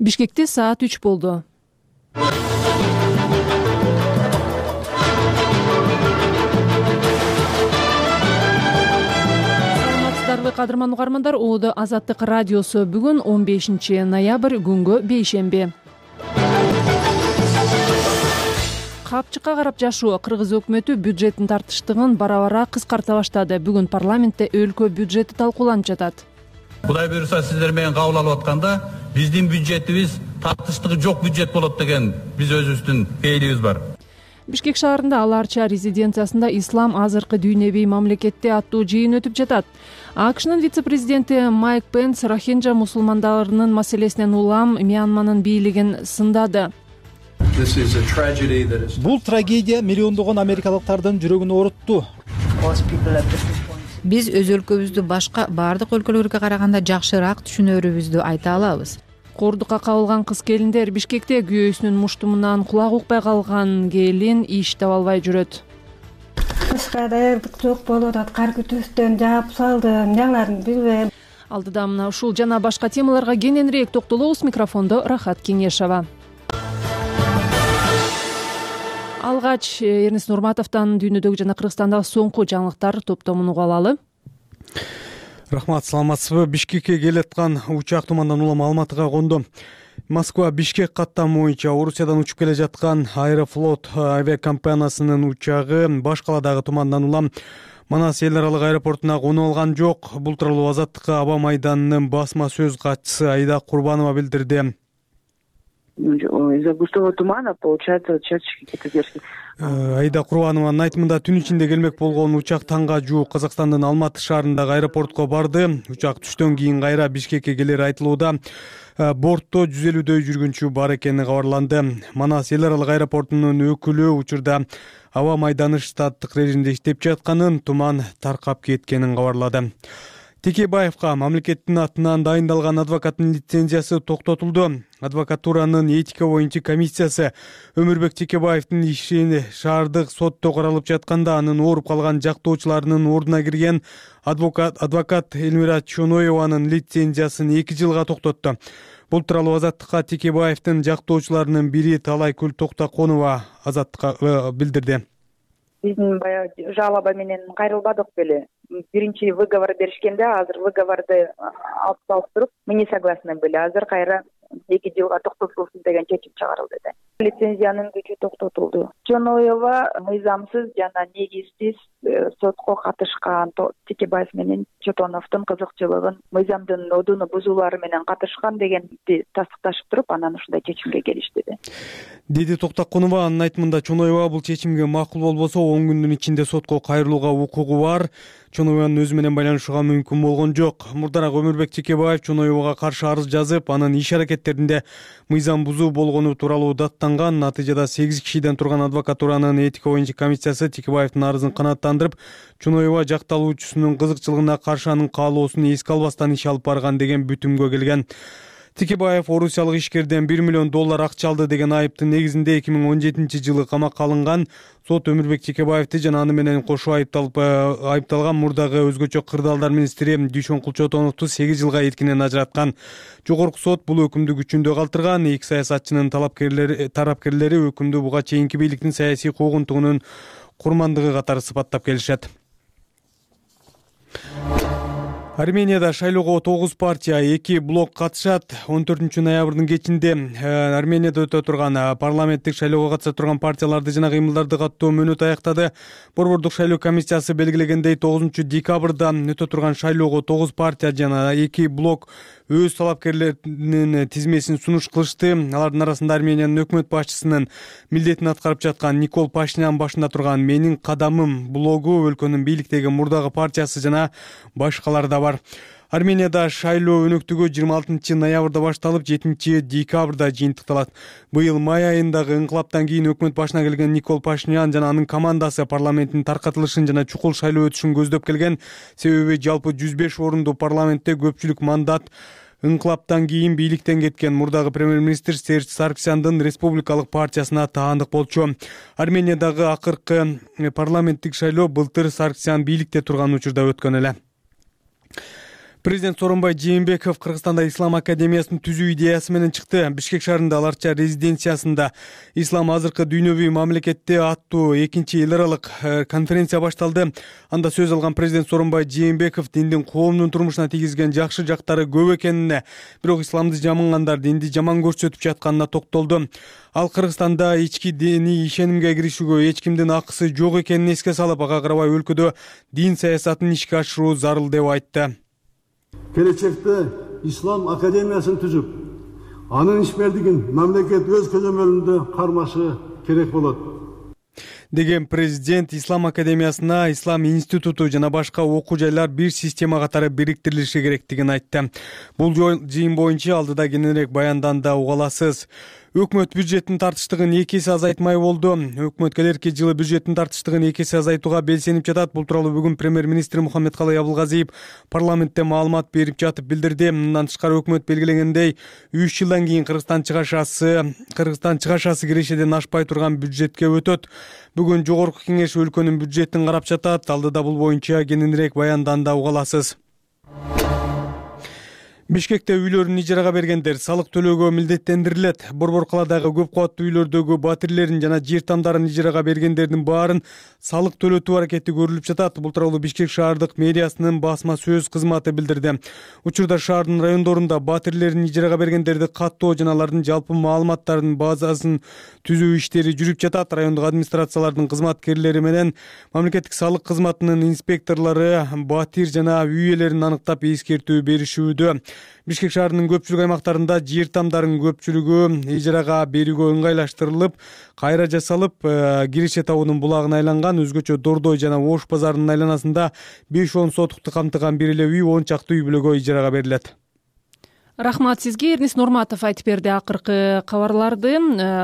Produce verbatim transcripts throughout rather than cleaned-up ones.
Бишкекте саат үч болду. Саламатсыздарбы кадырман угармандар, Оодо Азаттык радиосу. Бүгүн он бешинчи ноябрь, күнгө бейшемби. Капчыкка карап жашоо. Кыргыз өкмөтү бюджеттин тартыштыгын бара-бара кыскарта баштады. Бүгүн парламентте өлкө бюджети талкууланып жатат. Кудай буюрса сиздер менен кабыл алып атканда биздин бюджетибиз тартыштыгы жок бюджет болот деген биз өзүбүздүн ээлибиз бар. Бишкек шаарында Аларча резиденциясында ислам азыркы дүйнөбүй мамлекетте аттуу жыйын өтүп жатат. АКШнын вице-президенти Майк Пенс рохинджа мусулмандарынын маселесинен улам Мьянманын бийлигин сындады. Бул трагедия миллиондогон америкалыктардын жүрөгүн оорутту. Биз өз өлкөбүздү башка бардык өлкөлөргө караганда жакшыраак түшүнөрүбүздү айта алабыз. Кордукка кабылган кыз-келиндер. Бишкекте күйөөсүнүн муштумунан кулак укпай калган келин иш таба албай жүрөт. Кышка даярдык жок болуп атат. Кар күтүүстөн жаап салдым, эмне кыларын билбейм. Алдыда мына ушул жана башка темаларга кененирээк токтолобуз. Микрофондо Рахат Кеңешова. Алгач Эрнест Нурматовдон дүйнөдөгү жана Кыргызстандагы соңку жаңылыктар топтомун угуп алалы. Рахмат, саламатсызбы? Бишкекке келаткан учак тумандан улам Алматыга конду. Москва Бишкек каттамы боюнча Орусиядан учуп келе жаткан Аэрофлот авиакомпаниясынын учагы баш каладагы тумандан улам Манас эл аралык аэропортуна конуп алган жок. Бул тууралуу Азаттыкка Аба майданынын басма сөз катчысы Айда Курбанова билдирди. Из-за густого тумана, получается, черточки задержки. Айда Курбанованын айтымында түн ичинде келмек болгон учак таңга жуук Казакстандын Алматы шаарындагы аэропортко барды. Учак түштөн кийин кайра Бишкекке келери айтылууда. Бортто жүз элүүдөй жүргүнчү бар экени кабарланды. Манас эл аралык аэропортунун өкүлү учурда аба майданы штаттык режимде иштеп жатканын, туман таркап кеткенин кабарлады. Текебаевка мамлекеттин атынан дайындалган адвокаттын лицензиясы токтотулду. Адвокатуранын этика боюнча комиссиясы Өмүрбек Текебаевдин ишин шаардык сотто каралып жатканда анын ооруп калган жактоочуларынын ордуна кирген адвокат адвокат Элмира Чоноеванын лицензиясын эки жылга токтотту. Бул тууралуу Азаттыкка Текебаевдин жактоочуларынын бири Талайкүл Токтоконова Азаттыкка билдирди. Биздин баягы жалоба менен кайрылбадык беле. Биринчи выговор беришкенде, азыр выговорду алып салыштырып, мы не согласны были. Азыр кайра эки жылга токтотулсын деген чечим чыгарылды. Лицензиянын күчү токтотулду. Чоноева мыйзамсыз жана негизсиз сотко катышкан, Текебаев менен Чотоновдун кызыкчылыгын, мыйзамдын одуну бузуулары менен катышкан дегенди тастыкташып туруп, анан ушундай чечимге келишти. Деди Токтоконова. Анын айтымында Чоноева бул чечимге макул болбосо он күндүн ичинде сотко кайрылууга укугу бар. Чоноеванын өзү менен байланышууга мүмкүн болгон жок. Мурдараак Өмүрбек Текебаев Чоноевага каршы арыз жазып, анын иш аракеттеринде мыйзам бузуу болгону тууралуу даттанган. Натыйжада сегиз кишиден турган адвокатуранын этика боюнча комиссиясы Текебаевдин арызын канааттандырып, Чоноева жакталуучусунун кызыкчылыгына каршы анын каалоосун эске албастан иш алып барган деген бүтүмгө келген. Текебаев орусиялык ишкерден бир миллион доллар акча алды деген айыптын негизинде эки миң он жетинчи жылы камакка алынган. Сот Өмүрбек Текебаевди жана аны менен кошо айыпталып айыпталган мурдагы өзгөчө кырдаалдар министри Дүйшөнкул Чотоновду сегиз жылга эркинен ажыраткан. Жогорку сот бул өкүмдү күчүндө калтырган. Эки саясатчынын талапкерлери тарапкерлери өкүмдү буга чейинки бийликтин саясий куугунтугунун курмандыгы катары сыпаттап келишет. Арменияда шайлоого тогуз партия, эки блок катышат. он төртүнчү ноябрдын кечинде Арменияда өтө турган парламенттик шайлоого катыша турган партияларды жана кыймылдарды каттоо мөөнөтү аяктады. Борбордук шайлоо комиссиясы белгилегендей тогузунчу декабрда өтө турган шайлоого тогуз партия жана эки блок өз талапкерлеринин тизмесин сунуш кылышты. Алардын арасында Армениянын өкмөт башчысынын милдетин аткарып жаткан Никол Пашинян башында турган Менин кадамым блогу, өлкөнүн бийликтеги мурдагы партиясы жана башкалар да бар. Арменияда шайлоо өнөктүгү жыйырма алтынчы ноябрда башталып, жетинчи декабрда жыйынтыкталат. Быйыл май айындагы инкылаптан кийин өкмөт башына келген Никол Пашинян жана анын командасы парламенттин таркатылышын жана чукул шайлоо өтүшүн көздөп келген. Себеби жалпы жүз беш орунду парламентте көпчүлүк мандат инкылаптан кийин бийликтен кеткен мурдагы премьер-министр Серж Сарксяндын республикалык партиясына таандык болчу. Армениядагы акыркы парламенттик шайлоо былтыр Сарксян бийликте турган учурда өткөн эле. Президент Сооронбай Жээнбеков Кыргызстанда Ислам академиясын түзүү идеясы менен чыкты. Бишкек шаарында Аларча резиденциясында Ислам азыркы дүйнөвүй мамлекетте аттуу экинчи эл аралык конференция башталды. Анда сөз алган президент Сооронбай Жээнбеков диндин коомдун турмушуна тийгизген жакшы жактары көп экенине, бирок исламды жамангандар динди жаман көрсөтүп жатканына токтолду. Ал Кыргызстанда ички диний ишенимге киришүүгө эч кимдин акысы жок экенин эске салып, ага карабай өлкөдө дин саясатын ишке ашыруу зарыл деп айтты. Келечекте Ислам академиясын түзүп, анын ишмердигин мамлекет өз көзөмөлүндө кармашы керек болот деген президент Ислам академиясына Ислам институту жана башка окуу жайлар бир система катары бириктирилиши керектигин айтты. Бул жыйын боюнча алдыда кененирээк баянданда уга аласыз. Өкмөт бюджеттин тартыштыгын эки эсе азайтмай болду. Өкмөт келерки жылы бюджеттин тартыштыгын эки эсе азайтууга белсенип жатат. Бул тууралуу бүгүн премьер-министр Мухаммедкалый Абылгазиев парламентте маалымат берип жатып билдирди. Мындан тышкары өкмөт белгилегендей үч жылдан кийин Кыргызстан чыгашасы, Кыргызстан чыгашасы кирешеден ашпай турган бюджетке өтөт. Бүгүн жогорку кеңеш өлкөнүн бюджетин карап жатат. Алдыда бул боюнча кененирээк баянданда уга аласыз. Бишкекте үйлөрүн ижарага бергендер салык төлөөгө милдеттендирилет. Борбор калаадагы көп кабаттуу үйлөрдөгү батирлерин жана жер тамдарын ижарага бергендердин баарын салык төлөтүү аракети көрүлүп жатат. Бул тууралуу Бишкек шаардык мэриясынын басма сөз кызматы билдирди. Учурда шаардын райондорунда батирлерин ижарага бергендерди каттоо жана алардын жалпы маалыматтарынын базасын түзүү иштери жүрүп жатат. Райондук администрациялардын кызматкерлери менен мамлекеттик салык кызматынын инспекторлору батир жана үй ээлерин аныктап эскертүү беришүүдө. Бишкек шаарынын көпчүлүк аймактарында жер тамдарын көпчүлүгү ижарага берүүгө ыңгайлаштырылып, кайра жасалып, Киреше табунун булагына айланган. Өзгөчө Дордой жана Ош базарынын айланасында беш он сотукту камтыган бир эле үй он чакты үй бүлөгө ижарага берилет. Рахмат сизге. Эрнис Нурматов айтып берди акыркы кабарларды.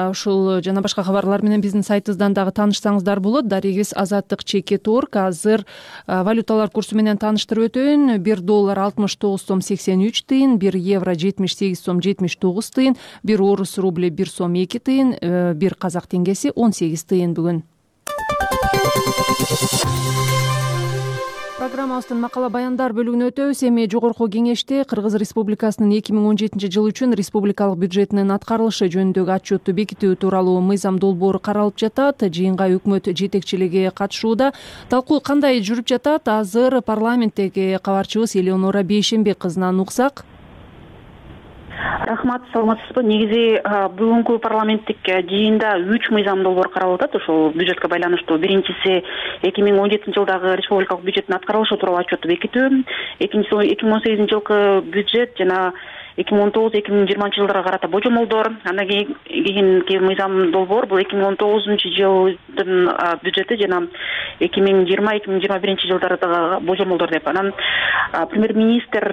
Ушул жана башка кабарлар менен биздин сайтыбыздан дагы таанышсаңыздар болот. Дарегиз Азаттык чекит орг. Азыр валюталар курсу менен тааныштырып өтөйүн. бир доллар алтымыш тогуз сом сексен үч тыйын, бир евро жетимиш сегиз сом жетимиш тогуз тыйын, бир орус рубли бир сом эки тыйын, бир казак теңгеси он сегиз тыйын бүгүн. Программабыздын макала баяндар бөлүгүнө өтөбүз. Эми жогорку кеңеште Кыргыз Республикасынын эки миң он жетинчи жыл үчүн республикалык бюджетинин аткарылышы жөнүндөгү отчетту бекитүү тууралуу мыйзам долбоору каралып жатат. Жыйынга өкмөт жетекчилиги катышууда. Талкуу кандай жүрүп жатат? Азыр парламенттеги кабарчыбыз Элеонора Бейшенбек кызынан уксак. Рахмат, саламатсызбы? Негизи бүгүнкү парламенттик жыйында үч мыйзам долбоор каралып атат. Ошол бюджетке байланыштуу. Биринчиси эки миң он жетинчи жылдагы республикалык бюджеттин аткарылышы тууралуу отчетту бекитүү. Экинчиси эки миң он сегизинчи жылкы бюджет жана эки миң он тогуз эки миң жыйырманчы жылдарга карата божомолдор. Андан кийинки мыйзам долбоор бул эки миң он тогузунчу жылдын бюджети жана эки миң жыйырма эки миң жыйырма биринчи жылдардагы божомолдор деп. Анан премьер-министр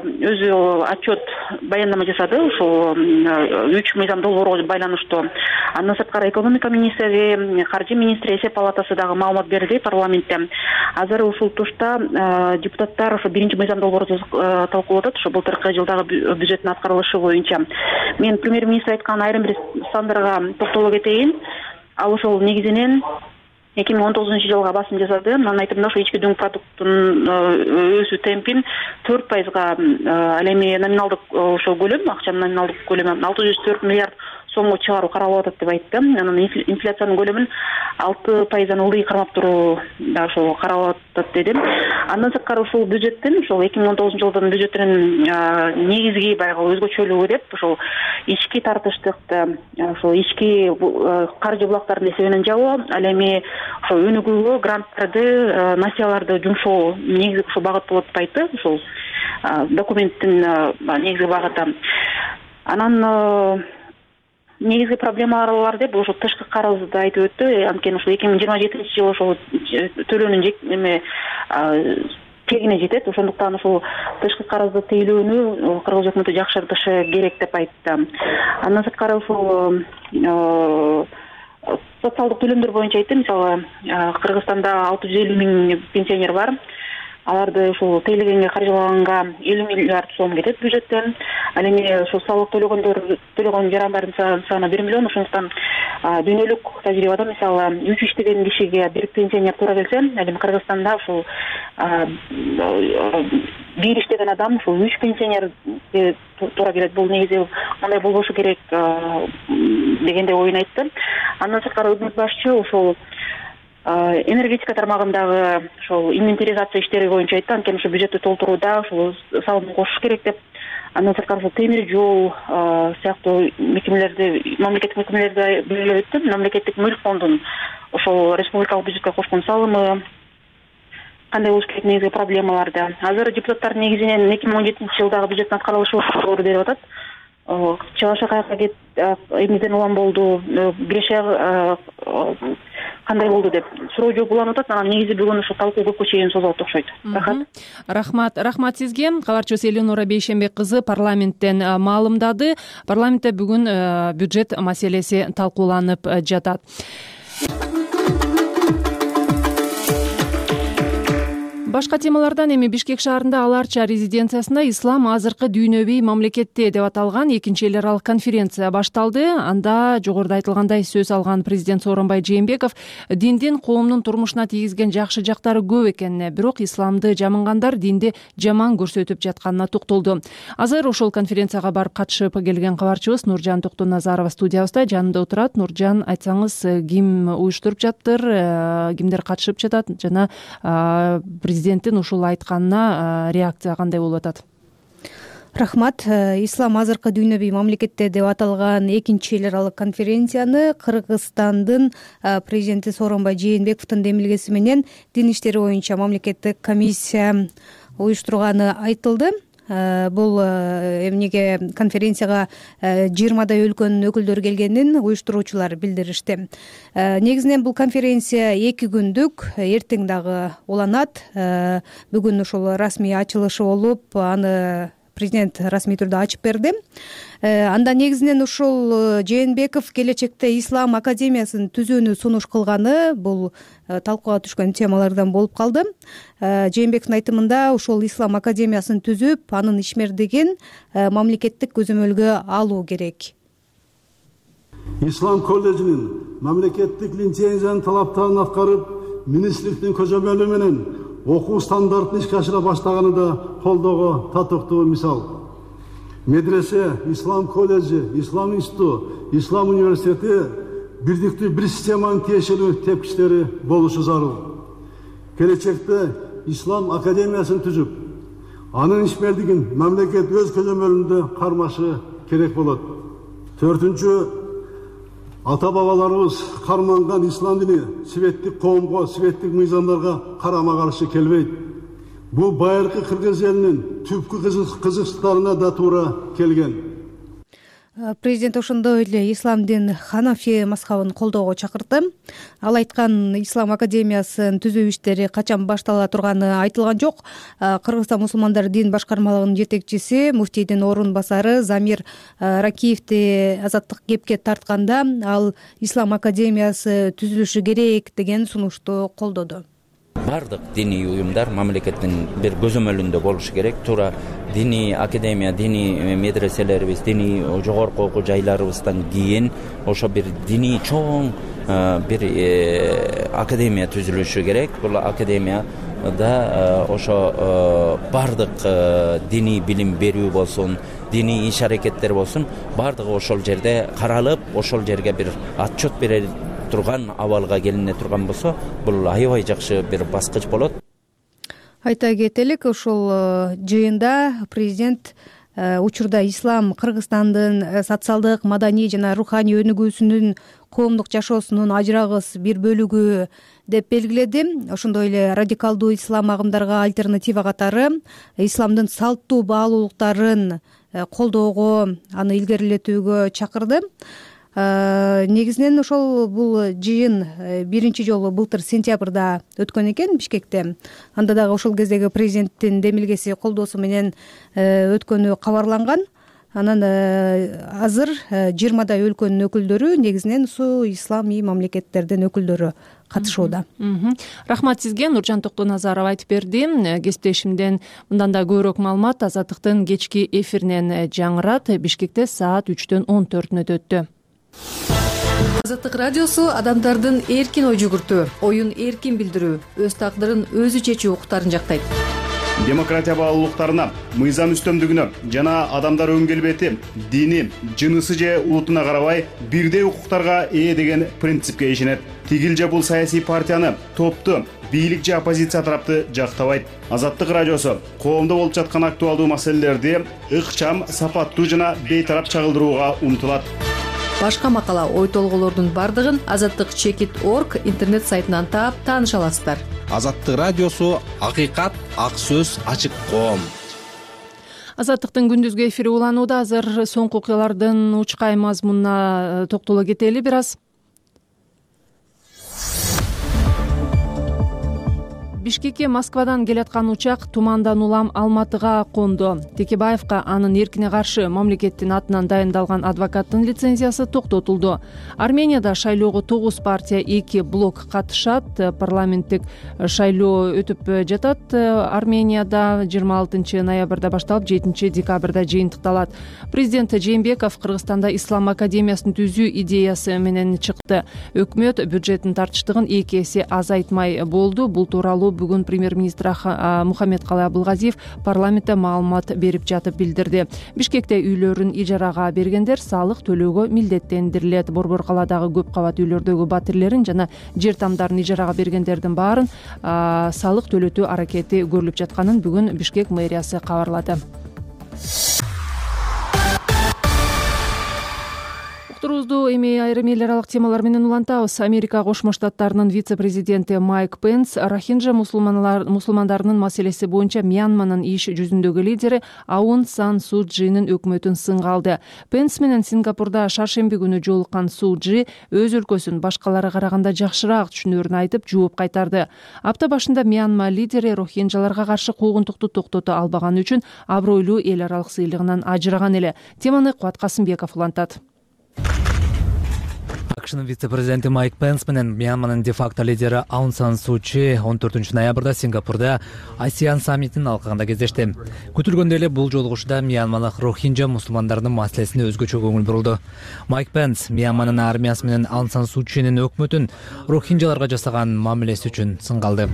өзү отчет баяндама жасады ушул үч мыйзам долбоорго байланыштуу. Андан сырткары экономика министри, каржы министри, эсеп палатасы дагы маалымат берди парламентте. Азыр ушул тушта депутаттар ошо биринчи мыйзам долбоорду талкуулап атат. Ошо былтыркы жылдагы бюджеттин аткарылышы боюнча. Мен премьер-министр айткан айрым бир сандарга токтоло кетейин. Ал ошол негизинен эки миң он тогузунчу жылга басым жасады. Анын айтымында ошо ички дүң продукттун өсүү темпин төрт пайызга, ал эми номиналдык ошо көлөм, акчанын номиналдык көлөмү алты жүз төрт миллиард сомго чыгаруу каралып атат деп айтты. Анан инфляциянын көлөмүн алты пайыздан ылдый кармап туруу да ошо каралып атат деди. Андан сырткары ушул бюджеттин, ушул эки миң он тогузунчу жылдын бюджетинин негизги баягы өзгөчөлүгү деп ошол ички тартыштыкты, ошол ички каржы булактарын эсебинен жабуу, ал эми ошо өнүгүүгө гранттарды, насыяларды жумшоо негизги ушул багыт болот деп айтты. Ушул документтин негизги багыты. Анан негизги проблемалар деп ошо тышкы карызды айтып өттү. Анткени ошо эки миң жыйырма жетинчи жылы ошол төлөөнүн эме тегине жетет. Ошондуктан ушул тышкы карызды тейлөөнү Кыргыз өкмөтү жакшыртышы керек деп айтты. Андан сырткары ушул социалдык төлөмдөр боюнча айтты. Мисалы, Кыргызстанда алты жүз элүү миң пенсионер бар. Аларды ушул тейлегенге каржылаганга элүү миллиард сом кетет бюджеттен. Ал эми ушул салык төлөгөндөр төлөгөн жарандардын саны бир миллион. Ошондуктан дүйнөлүк тажрыйбада мисалы үч иштеген кишиге бир пенсионер туура келсе, ал эми Кыргызстанда ушул бир иштеген адам ушул үч пенсионерге туура келет. Бул негизи мындай болбошу керек дегенде оюн айтты. Андан сырткары өкмөт башчы ушул энергетика тармагындагы ошол инвентаризация иштери боюнча айтты. Анткени ушу бюджеттти толтурууда ушул салым кошуш керек деп. Андан сырткары ушул темир жол сыяктуу мекемелерди, мамлекеттик мекемелерди белгилеп өттү. Мамлекеттик мүлк фондунун ошол республикалык бюджетке кошкон салымы кандай болуш керек, негизги проблемаларды. Азыр депутаттар негизинен эки миң он жетинчи жылдагы бюджеттин аткарылышы туралы берип атат. Чалаша каяка кет, эмнеден улам болду, Гречия кандай болду деп суроо жооп уланып атат. Анан негизи бүгүн ушу талкуу көпкө чейин созулат окшойт. Рахмат. Рахмат. Рахмат сизге. Кабарчыбыз Элеонора Бейшенбек кызы парламенттен маалымдады. Парламентте бүгүн бюджет маселеси талкууланып жатат. Башка темалардан эми Бишкек шаарында Аларча резиденциясында ислам азыркы дүйнөбүй мамлекетте деп аталган экинчи эл аралык конференция башталды. Анда жогоруда айтылгандай сөз алган президент Сооронбай Жээнбеков диндин коомдун турмушуна тийгизген жакшы жактары көп экенине, бирок исламды жамангандар динди жаман көрсөтүп жатканына токтолду. Азыр ошол конференцияга барып катышып келген кабарчыбыз Нуржан Токтоназарова студиябызда жанында отурат. Нуржан, айтсаңыз, ким уюштуруп жатыр, кимдер катышып жатат жана президенттин ушул айтканына реакция кандай болуп атат? Рахмат. Ислам азыркы дүйнөбүй мамлекетте деп аталган экинчи эл аралык конференцияны Кыргызстандын президенти Сооронбай Жээнбековдун демилгеси менен дин иштери боюнча мамлекеттик комиссия уюштурганы айтылды. Бул эмнеге конференцияга жыйырмадай өлкөнүн өкүлдөрү келгенин уюштуруучулар билдиришти. Негизинен бул конференция эки күндүк, эртең дагы уланат. Бүгүн ушул расмий ачылышы болуп, аны президент расмий түрдө ачып берди. Анда негизинен ушул Жээнбеков келечекте Ислам академиясын түзүүнү сунуш кылганы бул талкууга түшкөн темалардан болуп калды. Жээнбековдун айтымында ушул Ислам академиясын түзүп, анын ишмердигин мамлекеттик көзөмөлгө алуу керек. Ислам колледжинин мамлекеттик лицензиянын талаптарын аткарып, министрликтин көзөмөлү менен окуу стандартын ишке ашыра баштаганы да колдоого татыктуу мисал. Медресе, Ислам колледжи, Ислам институту, Ислам университети бирдиктүү бир системанын тиешелүү тепкичтери болушу зарыл. Келечекте Ислам академиясын түзүп, анын ишмердигин мамлекет өз көзөмөлүндө кармашы керек болот. Төртүнчү, ата бабаларыбыз карманган ислам дини светтик коомго, светтик мыйзамдарга карама каршы келбейт. Бул байыркы кыргыз элинин түпкү кызыкчылыктарына да туура келген. Президент ошондой эле ислам дин Ханафи мазхабын колдоого чакырды. Ал айткан, Ислам академиясын түзүү иштери качан баштала турганы айтылган жок. Кыргызстан мусулмандар дин башкармалыгынын жетекчиси, муфтийдин орун басары Замир Ракиевди азаттык кепке тартканда, ал Ислам академиясы түзүлүшү керек деген сунушту колдоду. Бардык диний уюмдар мамлекеттин бир көзөмөлүндө болушу керек. Туура диний академия, диний медреселерибиз, диний жогорку окуу жайларыбыздан кийин ошо бир диний чоң бир академия түзүлүшү керек. Бул академияда ошо бардык диний билим берүү болсун, диний иш аракеттер болсун, бардыгы ошол жерде каралып, ошол жерге бир отчет бере турган абалга келине турган болсо, бул аябай жакшы бир баскыч болот. Айта кетелик, ушул жыйында президент учурда ислам Кыргызстандын социалдык, маданий жана руханий өнүгүүсүнүн, коомдук жашоосунун ажырагыс бир бөлүгү деп белгиледи. Ошондой эле радикалдуу ислам агымдарга альтернатива катары исламдын салттуу баалуулуктарын колдоого, аны илгерилетүүгө чакырды. Негизинен ошол бул жыйын биринчи жолу былтыр сентябрда өткөн экен Бишкекте. Анда дагы ошол кездеги президенттин демилгеси колдоосу менен өткөнү кабарланган. Анан азыр жыйырмадай өлкөнүн өкүлдөрү, негизинен су исламий мамлекеттердин өкүлдөрү катышууда. Рахмат сизге, Нуржан Токтоназарова айтып берди. Кесиптешимден мындан да көбүрөөк маалымат Азаттыктын кечки эфиринен жаңырат. Бишкекте саат үчтөн он төртүнө өтөттү. Азаттык радиосу адамдардын эркин ой жүгүртүү, оюн эркин билдирүү, өз тагдырын өзү чечүү укуктарын жактайт. Демократия баалуулуктарына, мыйзам үстөмдүгүнө жана адамдар өң келбети, дини, жынысы же улутуна карабай бирдей укуктарга ээ деген принципке ишенет. Тигил же бул саясий партияны, топту, бийлик же оппозиция тарапты жактабайт. Азаттык радиосу коомдо болуп жаткан актуалдуу маселелерди ыкчам, сапаттуу жана бейтарап чагылдырууга умтулат. Башка макала, ой толгоолордун бардыгын азаттык чекит точка орг интернет сайтынан таап тааныша аласыздар. Азаттык радиосу акыйкат, ак сөз, ачык коом. Азаттыктын күндүзгү эфири уланууда. Азыр соңку окуялардын учкай мазмунуна токтоло кетели бир аз. Бишкекке Москвадан келаткан учак тумандан улам Алматыга конду. Текебаевка анын эркине каршы мамлекеттин атынан дайындалган адвокаттын лицензиясы токтотулду. Арменияда шайлоого тогуз партия, эки блок катышат. Парламенттик шайлоо өтүп жатат. Арменияда жыйырма алтынчы ноябрда башталып, жетинчи декабрда жыйынтыкталат. Президент Жээнбеков Кыргызстанда Ислам академиясын түзүү идеясы менен чыкты. Өкмөт бюджеттин тартыштыгын эки эсе азайтмай болду. Бул тууралуу бүгүн премьер-министр Мухаммедкалый Абылгазиев парламентте маалымат берип жатып билдирди. Бишкекте үйлөрүн ижарага бергендер салык төлөөгө милдеттендирилет. Борбор калаадагы көп кабат үйлөрдөгү батирлерин жана жер тамдарын ижарага бергендердин баарын салык төлөтүү аракети көрүлүп жатканын бүгүн Бишкек мэриясы кабарлады. Уктуруубузду эми айрым эл аралык темалар менен улантабыз. Америка Кошмо Штаттарынын вице-президенти Майк Пенс Рохинджа мусулмандарынын маселеси боюнча Мьянманын иш жүзүндөгү лидери Аун Сан Су Чжинин өкмөтүн сынга алды. Пенс менен Сингапурда шаршемби күнү жолуккан Су Чжи өз өлкөсүн башкалары караганда жакшыраак түшүнөрүн айтып, жооп кайтарды. Апта башында Мьянма лидери рохинджаларга каршы куугунтукту токтото албаганы үчүн абройлуу эл аралык сыйлыгынан ажыраган эле. Теманы Кубат Касымбеков улантат. акшнын вице-президенти Майк Пенс менен Мьянманын де-факто лидери Аун Сан Су Чжи он төртүнчү ноябрда Сингапурда Асиан саммитин алкагында кездешти. Күтүлгөндөй эле бул жолугушууда Мьянмалык рохинджа мусулмандарынын маселесине өзгөчө көңүл бурулду. Майк Пенс Мьянманын армиясы менен Аун Сан Су Чжинин өкмөтүн рохинджаларга жасаган мамилеси үчүн сынга алды.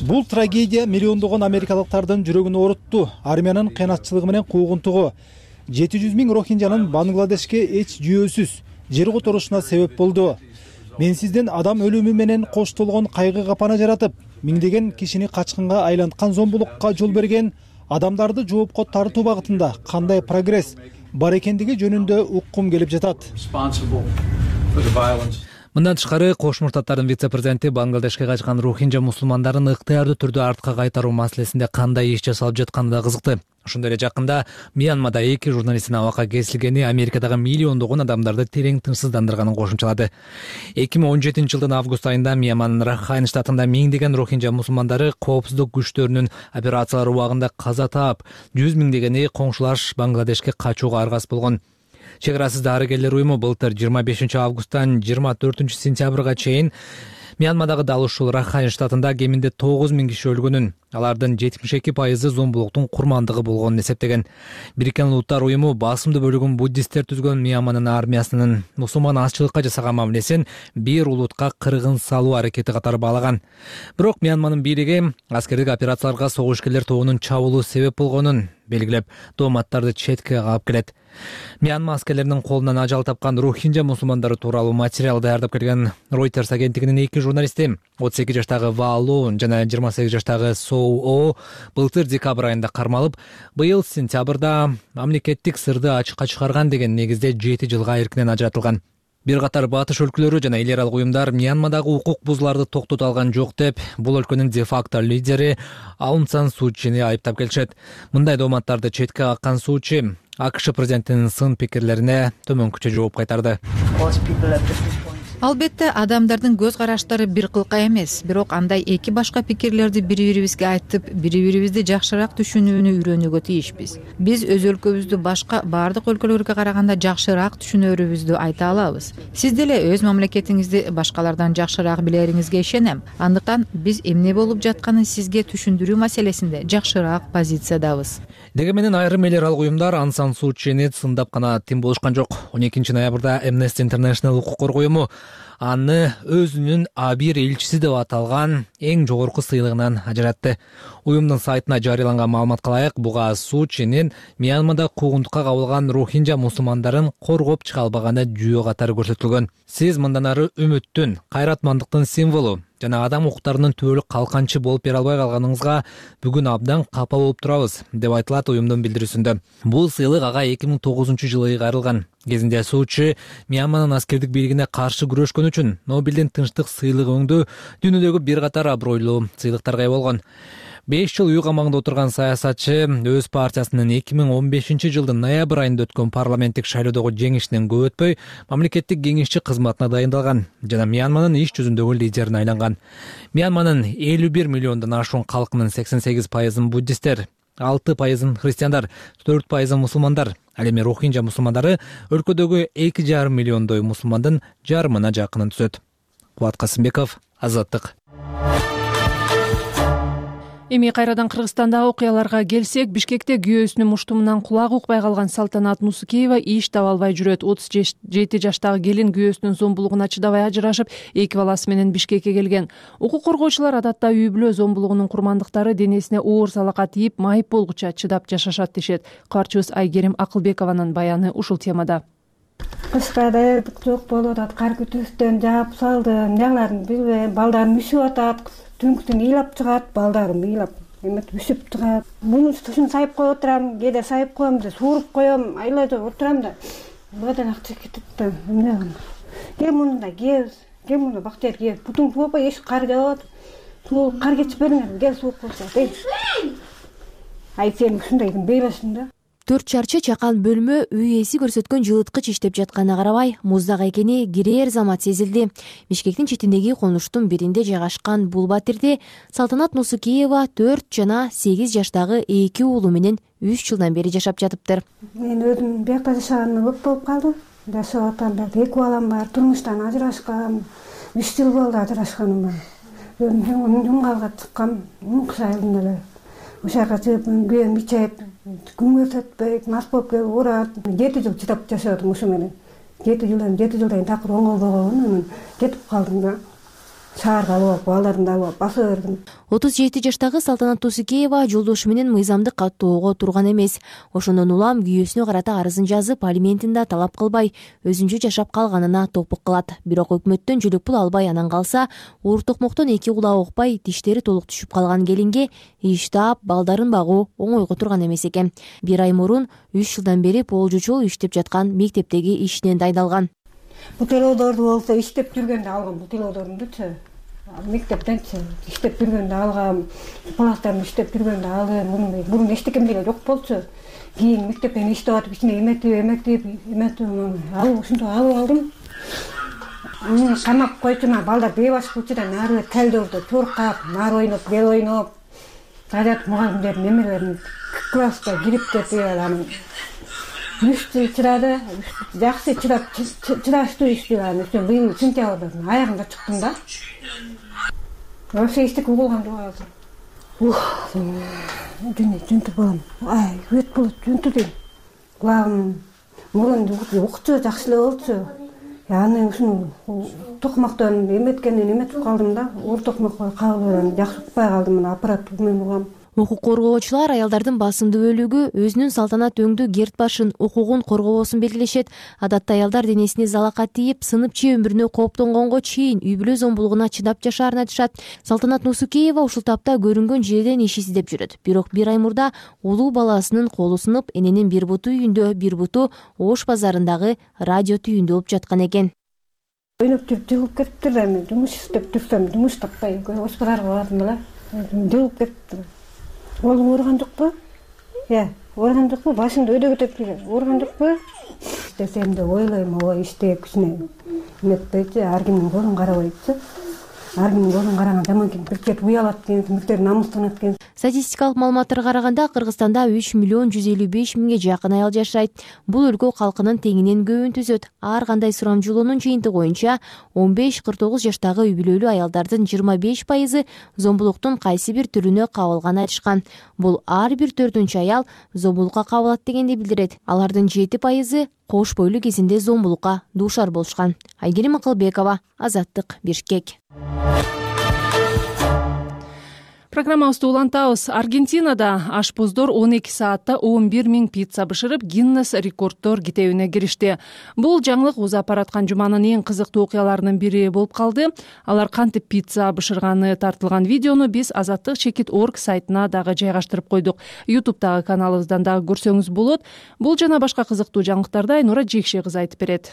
Бул трагедия миллиондогон америкалыктардын жүрөгүн оорутту. Армиянын кыйнатчылыгы менен куугунтугу жети жүз миң рохинджанын Бангладешке эч жүйөсүз жер которушуна себеп болду. Менсизден адам өлүмү менен коштолгон кайгы капана жаратып, миңдеген кишини качкынга айланткан зомбулукка жол берген адамдарды жоопко тартуу багытында кандай прогресс бар экендиги жөнүндө уккум келип жатат. Мындан тышкары Кошмо Штаттардын вице-президенти Бангладешке качкан рохинджа мусулмандарын ыктыярдуу түрдө артка кайтаруу маселесинде кандай иш жасалып жатканы да кызыкты. Ошондой эле жакында Мьянмада эки журналисттин абакка кесилгени Америкадагы миллиондогон адамдарды терең тынчсыздандырганын кошумчалады. эки миң он жетинчи жылдын август айында Мьянманын Рахайн штатында миңдеген рохинджа мусулмандары коопсуздук күчтөрүнүн операциялары убагында каза таап, жүз миңдегени коңшулаш Бангладешке качууга аргасыз болгон. Чек арасыз дарыгерлер уюму былтыр жыйырма бешинчи августтан жыйырма төртүнчү сентябрга чейин Мьянмадагы дал ушул Рахайн штатында кеминде тогуз миң киши өлгөнүн, алардын жетимиш эки пайызы зомбулуктун курмандыгы болгонун эсептеген. Бириккен Улуттар уюму басымдуу бөлүгүн буддисттер түзгөн Мьянманын армиясынын мусулман азчылыкка жасаган мамилесин бир улутка кыргын салуу аракети катары баалаган. Бирок Мьянманын бийлиги аскердик операцияларга согушкерлер тобунун чабуулу себеп болгонун белгилеп, дооматтарды четке кагып келет. Мьянма аскерлеринин колунан ажал тапкан рохинджа мусулмандары тууралуу материал даярдап келген Reuters агенттигинин эки журналисти, отуз эки жаштагы Ваалу жана жыйырма сегиз жаштагы Соу О былтыр декабрь айында кармалып, быйыл сентябрда мамлекеттик сырды ачыкка чыгарган деген негизде жети жылга эркинен ажыратылган. Бир катар батыш өлкөлөрү жана эл аралык уюмдар Мьянмадагы укук бузууларды токтото алган жок деп, бул өлкөнүн де-факто лидери Аун Сан Су Чжини айыптап келишет. Мындай дооматтарды четке каккан Су Чжи АКШ президентинин сын пикирлерине төмөнкүчө жооп кайтарды. Албетте адамдардын көз караштары бир кылка эмес, бирок андай эки башка пикирлерди бири-бирибизге айтып, бири-бирибизди жакшыраак түшүнүүнү үйрөнүүгө тийишпиз. Биз өз өлкөбүздү башка бардык өлкөлөргө караганда жакшыраак түшүнөрүбүздү айта алабыз. Сиз деле өз мамлекетиңизди башкалардан жакшыраак билериңизге ишенем. Андыктан биз эмне болуп жатканын сизге түшүндүрүү маселесинде жакшыраак позициядабыз. Дегенменен айрым эл аралык уюмдар Ан Сан Суу Чини сындап гана тим болушкан жок. он экинчи ноябрда Amnesty International укук коргоо уюму аны өзүнүн А бир элчиси деп аталган эң жогорку сыйлыгынан ажыратты. Уюмдун сайтына жарыяланган маалыматка ылайык, буга Суу Чинин Мьянмада куугунтукка кабылган рохинжа мусулмандарын коргоп чыга албаганы жүйө катары көрсөтүлгөн. Сиз мындан ары үмүттүн, кайратмандыктын символу жана адам укуктарынын түбөлүк калканчы болуп бере албай калганыңызга бүгүн абдан капа болуп турабыз, деп айтылат уюмдун билдирүүсүндө. Бул сыйлык ага эки миң тогузунчу жылы кайрылган. Кезинде Суу Чи Мьянманын аскердик бийлигине каршы күрөшкөн үчүн Нобелдин тынчтык сыйлыгы өңдүү дүйнөдөгү бир катар абройлуу сыйлыктарга ээ болгон. беш жыл үй камагында отурган саясатчы өз партиясынын эки миң он бешинчи жылдын ноябрь айында өткөн парламенттик шайлоодогу жеңишинен көп өтпөй мамлекеттик кеңешчи кызматына дайындалган жана Мьянманын иш жүзүндөгү лидерине айланган. Мьянманын элүү бир миллиондон ашуун калкынын сексен сегиз пайызын буддисттер, алты пайызын христиандар, төрт пайызын мусулмандар. Ал эми рохинжа мусулмандары өлкөдөгү эки жарым миллиондой мусулмандын жарымына жакынын түзөт. Кубат Касымбеков, Азаттык. Эми кайрадан Кыргызстандагы окуяларга келсек, Бишкекте күйөөсүнүн муштумунан кулагы укпай калган Салтанат Нусукеева иш таба албай жүрөт. отуз жети жаштагы келин күйөөсүнүн зомбулугуна чыдабай ажырашып, эки баласы менен Бишкекке келген. Укук коргоочулар адатта үй бүлө зомбулугунун курмандыктары денесине оор салака тийип, майып болгуча чыдап жашашат дешет. Кабарчыбыз Айгерим Акылбекованын баяны ушул темада. Кышка даярдык жок болуп атат, кар күтүүстөн жаап салдым, эмнелерин билбейм, балдарым үшүп атат. Түнктүн ыйлап чыгат, балдарым ыйлап эметип үшүп чыгат. Муну ушун сайып коюп отурам, кээде сайып коем, сууруп коем, айлажап отурам да. Бадан акча кетип да, эмне кылам? Кел муну да кийебиз, кел муну бактер кийебиз. Бутун сууп эш кар жаап, суу кар кечип бериңер, кел сууп койсо дейт. Ай сен ушундайдын бейлешиң да. төрт чарчы чакан бөлмө үй ээси көрсөткөн жылыткыч иштеп жатканына карабай, муздак экени кирээр замат сезилди. Бишкектин четиндеги конуштун биринде жайгашкан бул батирде Салтанат Нусукеева төрт жана сегиз жаштагы эки уулу менен үч жылдан бери жашап жатыптыр. Мен өзүм биякта жашаганыма көп болуп калдым. Жашап атам, эки балам бар, турмуштан ажырашкам, үч жыл болду ажырашканыма. Өзүм жумгалга чыккам, кыш айында эле. Ошага чыгып, күйөөм ичеп, күнгө өтпөйт, мас болуп келип урат. жети жыл чыдап жашадым ушу менен. жети жылдан жети жылдан такыр оңолбогон, анан кетип калдым да. Шаарга алып, балдарымды алып басып бердим. отуз жети жаштагы Салтанат Нусукеева жолдошу менен мыйзамдык каттоого турган эмес. Ошондон улам күйөөсүнө карата арызын жазып, алиментин да талап кылбай, өзүнчө жашап калганына топук кылат. Бирок өкмөттөн жөлөк пул албай анан калса, оор токмоктон эки кулагы укпай, диштери толук түшүп калган келинге иш таап, балдарын багуу оңойго турган эмес экен. Бир ай мурун үч жылдан бери болжучу иштеп жаткан мектептеги ишинен дайындалган. Бутилоодорду болсо иштеп жүргөндө алгам, бутилоодорумдучу. Мектептенчи иштеп жүргөндө алгам, класстарда иштеп жүргөндө алгам. Мурун эчтекем деле жок болчу. Кийин мектептен иштеп атып, ичине эметип, эметип, эметип, алып ушинтип алып алдым. Мени камап койчума, балдар бейбаш кылчудан нары талдоордо чуркап, нар ойноп, бел ойноп, жажат мугалимдердин немелерин класска кирип кетип анан үч жыл чыдады, жакшы чыдап чыдаштуу иштеп анан ошо быйыл сентябрда аягында чыктым да. Вообще иштик угулган жок азыр. Ух, дүнү жүнтүп болом. Ай, өт болот, жүнтү дейм. Кулагым мурун укчу жакшы эле болчу. Аны ушуну токмоктон эметкенден эметип калдым да. Оор токмокко кабылып жакшы укпай калдым, мына аппарат менен угам. Укук коргоочулар аялдардын басымдуу бөлүгү өзүнүн салтанат өңдүү герт башын, укугун коргобосун белгилешет. Адатта аялдар денесине залака тийип, сынып же өмүрүнө кооптонгонго чейин үй бүлө зомбулугуна чыдап жашаарын айтышат. Салтанат Нусукеева ушул тапта көрүнгөн жерден иш издеп жүрөт. Бирок бир ай мурда улуу баласынын колу сынып, эненин бир буту үйүндө, бир буту Ош базарындагы радио түйүндө болуп жаткан экен. Ойноп жүрүп жылып кетиптир да, мен жумуш иштеп жүрсөм, жумуш таппай, Ош базарга бардым эле. Жылып кетиптир. Оğlum uğurgandık mı? Ya, uğurgandık mı? Başında öde götürüp uğurgandık mı? İstesem de oylayım, o işte küçüne metpeydi, her kimin kolun karabaydı. ар кимдин көзүн караган жаман экен, бир чети уялат экен, биртери намыстанат экен. Статистикалык маалыматтарга караганда Кыргызстанда үч миллион жүз элүү беш миңге жакын аял жашайт. Бул өлкө калкынын теңинен көбүн түзөт. Ар кандай сурамжылоонун жыйынтыгы боюнча он беш кырк тогуз жаштагы үй бүлөлүү аялдардын жыйырма беш пайызы зомбулуктун кайсы бир түрүнө кабылганын айтышкан. Бул ар бир төртүнчү аял зомбулукка кабылат дегенди билдирет. Алардын жети пайызы кош бойлуу кезинде зомбулукка дуушар болушкан. Айгерим Акылбекова, Азаттык, Бишкек. Программабызды улантабыз. Аргентинада ашпоздор он эки саатта он бир миң пицца бышырып, Гиннес рекорддор китебине киришти. Бул жаңылык узап бараткан жуманын эң кызыктуу окуяларынын бири болуп калды. Алар кантип пицца бышырганы тартылган видеону биз азаттык чекит точка орг сайтына дагы жайгаштырып койдук. ютубтагы каналыбыздан дагы көрсөңүз болот. Бул жана башка кызыктуу жаңылыктарды Айнура Жекше кызы айтып берет.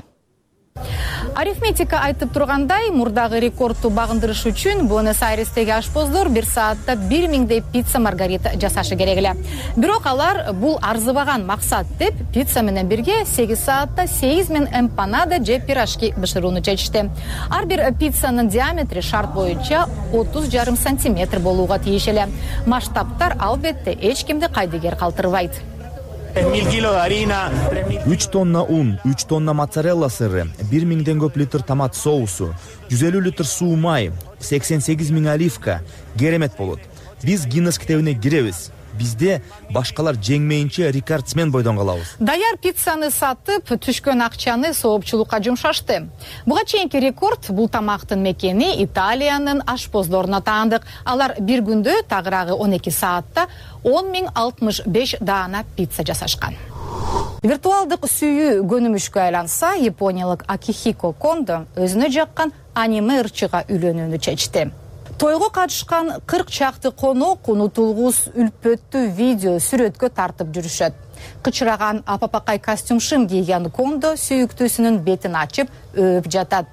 Арифметика айтып тургандай, мурдагы рекордду багындырыш үчүн Буэнос-Айрестеги ашпоздор бир саатта бир миңдей пицца маргарита жасашы керек эле. Бирок алар бул арзыбаган максат деп пицца менен бирге сегиз саатта сегиз миң эмпанада же пирожки бышырууну чечишти. Ар бир пиццанын диаметри шарт боюнча отуз жарым сантиметр болууга тийиш эле. Масштабтар албетте эч кимди кайдыгер калтырбайт. үч тонна ун, үч тонна моцарелла сыры, бир миңден көп литр томат соусу, жүз элүү литр суу май, сексен сегиз миң оливка керемет болот. Биз Гиннес китебине киребиз. Бизде башкалар жеңмейинче рекордсмен бойдон калабыз. Даяр пиццаны сатып, түшкөн акчаны соопчулукка жумшашты. Буга чейинки рекорд бул тамактын мекени Италиянын ашпоздоруна таандык. Алар бир күндө тагыраагы он эки саатта он миң алтымыш беш даана пицца жасашкан. Виртуалдык сүйүү көнүмүшкө айланса, япониялык Акихико Кондо өзүнө жаккан аниме ырчыга үйлөнүүнү чечти. Тойго катышкан кырк чакты конок унутулгус үлпөттүү видео сүрөткө тартып жүрүшөт. Кычыраган апапакай костюм шым кийген Кондо сүйүктүүсүнүн бетин ачып өөп жатат.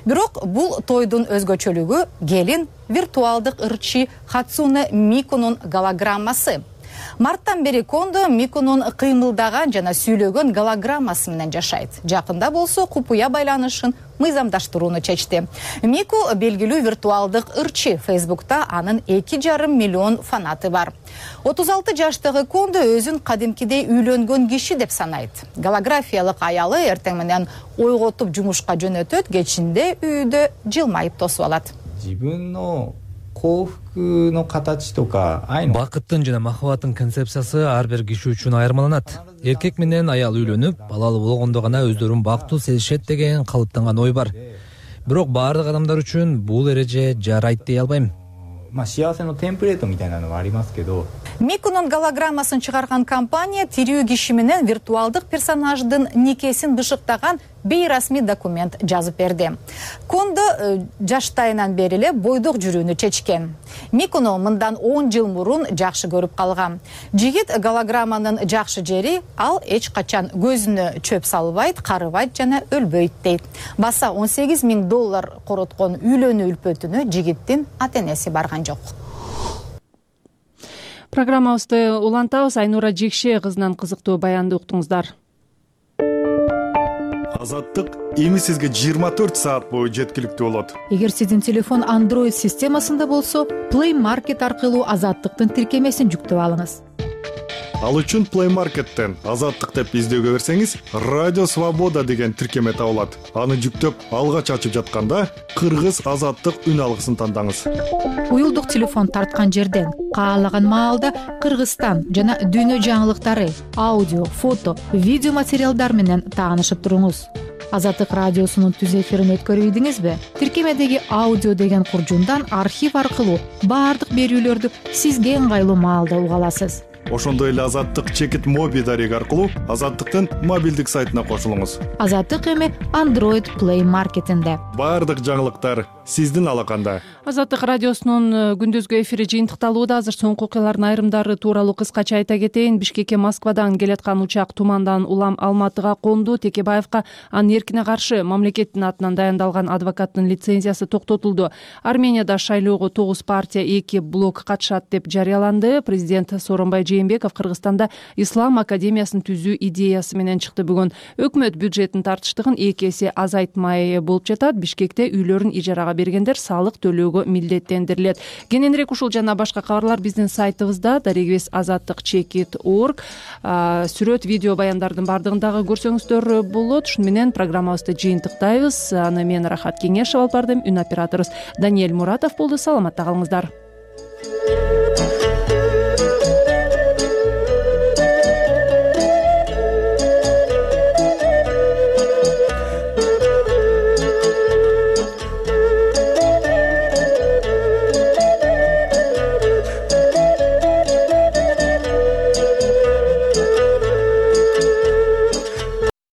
Бирок бул тойдун өзгөчөлүгү келин виртуалдык ырчы Хацуне Микунун голограммасы. Марттан бери Кондо Микунун кыймылдаган жана сүйлөгөн голограммасы менен жашайт. Жакында болсо купуя байланышын мыйзамдаштырууну чечти. Мику белгилүү виртуалдык ырчы. Фейсбукта анын эки жарым миллион фанаты бар. отуз алты жаштагы Кондо өзүн кадимкидей үйлөнгөн киши деп санайт. Голографиялык аялы эртең менен ойготуп жумушка жөнөтөт, кечинде үйдө жылмайып тосуп алат. Бакыттын жана махаббаттын концепциясы ар бир киши үчүн айырмаланат. Эркек менен аял үйлөнүп, балалуу болгондо гана өздөрүн бактуу сезишет деген калыптанган ой бар. Бирок баардык адамдар үчүн бул эреже жарайт дей албайм. Микунун голограммасын чыгарган компания тирүү киши менен виртуалдык персонаждын никесин бышыктаган бейрасмий документ жазып берди. Кондо жаштайынан бери эле бойдук жүрүүнү чечкен. Микуну мындан он жыл мурун жакшы көрүп калган. Жигит голограмманын жакшы жери ал эч качан көзүнө чөп салбайт, карыбайт жана өлбөйт дейт. Баса он сегиз миң доллар короткон үйлөнүү үлпөтүнө жигиттин ата-энеси барган жок. Программабызды улантабыз. Айнура Жекше кызынан кызыктуу баянды уктуңуздар. Азаттык эми сизге жыйырма төрт саат бою жеткиликтүү болот. Эгер сиздин телефон Android системасында болсо, Play Market аркылуу Азаттыктын тиркемесин жүктөп алыңыз. Ал үчүн Play Market'тен Азаттык деп издөөгө берсеңиз, Радио Свобода деген тиркеме табылат. Аны жүктөп, алгач ачып жатканда Кыргыз Азаттык үн алгысын тандаңыз. Уюлдук телефон тарткан жерден каалаган маалда Кыргызстан жана дүйнө жаңылыктары, аудио, фото, видео материалдар менен таанышып туруңуз. Азаттык радиосунун түз эфирин өткөрүп ийдиңизби? Тиркемедеги аудио деген куржундан архив аркылуу баардык берүүлөрдү сизге ыңгайлуу маалда уга аласыз. Ошондой эле Азаттык чекит моби дареги аркылуу Азаттыктын мобилдик сайтына кошулуңуз. Азаттык эми Android Play Market'инде. Баардык жаңылыктар сиздин алаканда. Азаттык радиосунун күндүзгү эфири жыйынтыкталууда. Азыр соңку окуялардын айрымдары тууралуу кыскача айта кетейин. Бишкекке Москвадан келаткан учак тумандан улам Алматыга конду. Текебаевка анын эркине каршы мамлекеттин атынан дайындалган адвокаттын лицензиясы токтотулду. Арменияда шайлоого тогуз партия, эки блок катышат деп жарыяланды. Президент Сооронбай Жээнбеков Кыргызстанда Ислам академиясын түзүү идеясы менен чыкты. Бүгүн өкмөт бюджеттин тартыштыгын эки эсе азайтмай болуп жатат. Бишкекте үйлөрүн ижарага бергендер салык төлөөгө милдеттендирилет. Кененирээк ушул жана башка кабарлар биздин сайтыбызда дарегибиз азаттык чекит орг. Сүрөт, видео баяндардын баардыгын дагы көрсөңүздөр болот. Ушуну менен программабызды жыйынтыктайбыз. Аны мен Рахат Кеңешов алып бардым. Үн операторубуз Даниэль Муратов болду. Саламатта калыңыздар.